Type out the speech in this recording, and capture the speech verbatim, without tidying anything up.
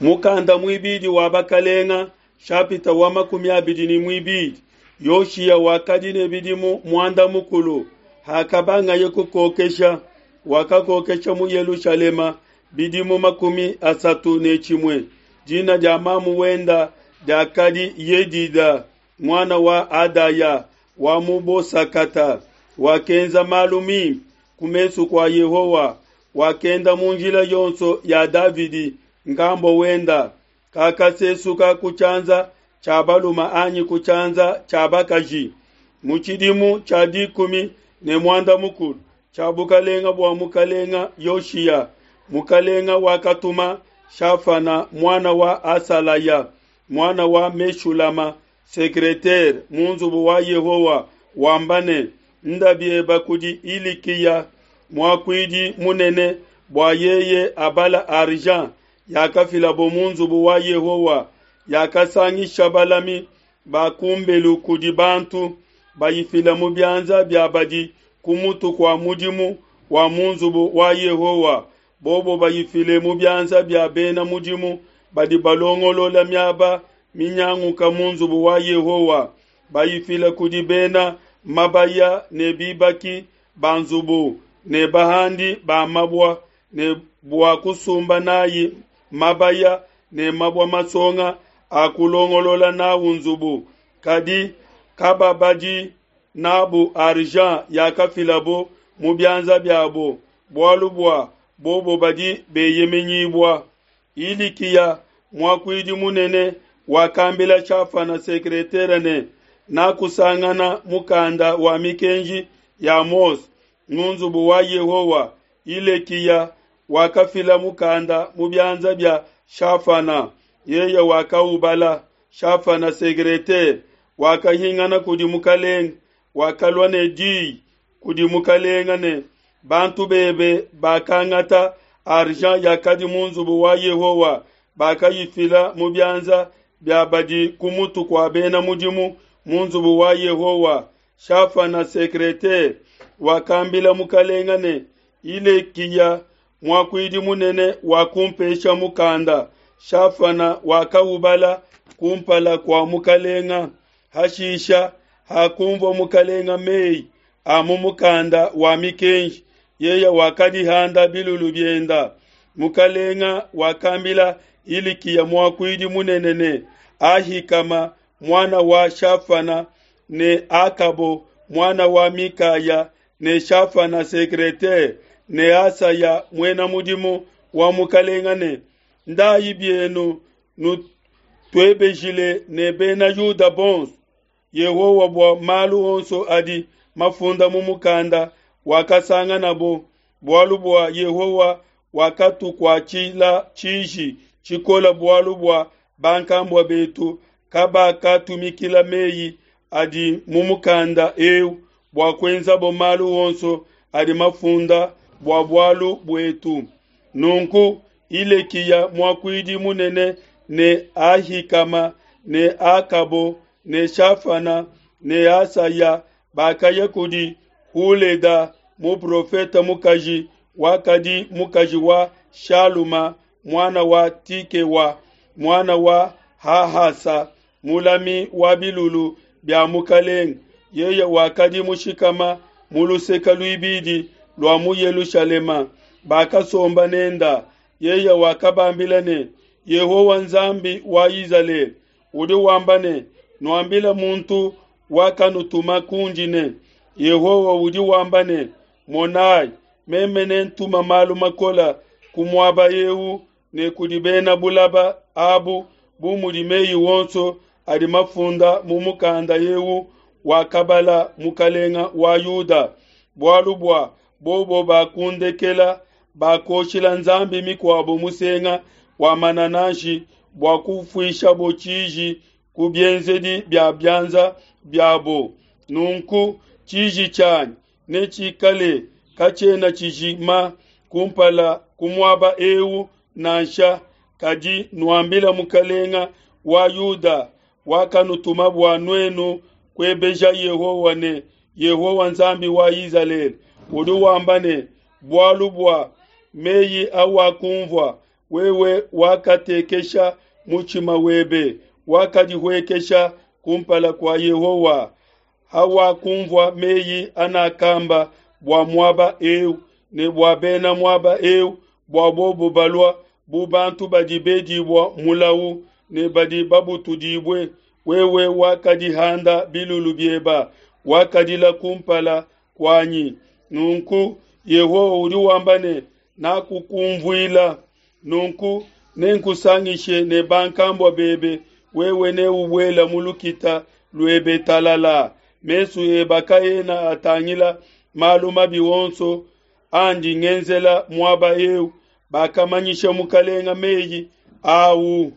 Mukanda muibidi wa bakalenga shapita wa makumi abidi ne muibidi Yoshiya wakadi ne bidimu muanda mukulu hakabangaye kukokesha, wakakokesha mu Yelushalema bidimu makumi asatu ne tshimue. Dina dia mamu wenda diakadi Yedida muana wa Adaya wa mu Bosakata. Wakenza malu mimpe ku mesu kua Yehowa, wakenda mu njila yonso ya Davidi ngambo wenda, kakasesuka ku tshianza tshia balume anyi ku tshianza tshia bakaji. Mu tshidimu tshia dikumi ne muanda mukulu tshia bukalenga bua mukalenga Yoshiya, mukalenga wakatuma Shafana muana wa Asalaya muana wa Meshulama sekretere mu nzubu wa Yehowa wamba ne, nda bieba kudi Ilikiya muakuidi munene bua yeye abala argent yakafilabo mu nzubu wa Yehowa yakasangisha balami ba kumbelu kudi bantu bayifila mu bianza bia badi ku mutu kua mudimu wa mu nzubu wa Yehowa, bobo bayifile mu bianza bia bena mudimu badi balongolola miaba minyanguka mu nzubu wa Yehowa, bayifile kudi bena mabaya ne bibaki ba nzubu ne bahandi ba mabua ne bua kusumba nayi mabaya ne mabua masonga a kulongolola nawu nzubu, kadi kababadi nabu argent yakafilabo mu bianza biabo, bualu bua bobo badi beyemenyibua. Ilikiya muakuidi munene wakambila Shafana sekretere ne, nakusangana mukanda wa mikenji ya Mose mu nzubu wa Yehowa. Ilekiya wakafila mukanda mu bianza bia Shafana, yeye wakaubala. Shafana sekretere wakahingana kudi mukalenga, wakalua ne diyi kudi mukalenga ne, bantu bebe bakangata argent yakadi mu nzubu wa Yehowa, bakayifila mu bianza bia badi ku mutu kua bena mudimu mu nzubu wa Yehowa. Shafana sekretere wakambila mukalenga ne, Ilekiya muakuidi munene wakumpesha mukanda. Shafana wakaubala kumpala kua mukalenga. Hashisha hakumvua mukalenga meyi a mu mukanda wa mikenji, yeye wakadihanda bilulu bienda. Mukalenga wakambila Ilikiya muakuidi munene ne Ahikama muana wa Shafana ne Akabo muana wa Mikaya ne Shafana sekretere ne Asaya muena mudimu wa mukalenga ne, ndayi bienu nutuebejile ne bena Yuda bonso Yehowa bua malu onso adi mafunda mu mukanda wakasanganabo, bualu bua Yehowa wakatukuatshila tshiji tshikola bualu bua bankambua betu kabakatumikila meyi adi mu mukanda eu bua kuenzabo malu onso adi mafunda bua bualu buetu. Nunku Ilekiya muakuidi munene ne Ahikama ne Akabo ne Shafana ne Asaya bakaya kudi Huleda muprofete mukaji wakadi mukaji wa Shaluma muana wa Tikewa muana wa Hahasa mulami wa bilulu bia mukalenga. Yeye wakadi mushikama mu luseke luibidi lua mu Yelushalema. Bakasomba nenda. Yeye wakabambila ne, Yehowa Nzambi wa Izalele udi wamba ne, nuambila muntu wakanutuma kundi ne, Yehowa udi wamba ne, monai, meme nentuma malu makola ku muaba eu ne kudi bena bulaba abu bu mudi meyi wonso adi mafunda mu mukanda eu wakabala mukalenga wa Yuda, bualu bua bobo bakundekela bakoshila nzambi mikuabo musenga wa manananshi bua kufuishabo tshiji ku bienzedi bia bianza biabo. Nunku tshiji tshianyi netshikale katshiena tshijima kumpala ku muaba eu nansha. Kadi nuambila mukalenga wa Yuda wakanutuma bua nuenu kuebeja Yehowa ne, Yehowa Nzambi wa Izalele udi wamba ne, bualu bua meyi awakumvua Wewe wakatekesha mutshima webe, wakadihuekesha kumpala kua Yehowa. Hawakumvua meyi anakamba bua muaba eu ne bua bena muaba eu, bua bobo balua bu bantu badi bedibua mulawu ne badi babutudibue, wewe wakadihanda bilulu bieba, wakadila kumpala kuanyi. Nunku Yehowa udi wamba ne, Nakukunvuila. Nunku nenkusangishe ne bankambua bebe, wewe neubuele mu lukita luebe talala. Mesu ebe kaena atangila malu mabi onso andi ngenzela muaba eu. Bakamanyisha mukalenga meyi au.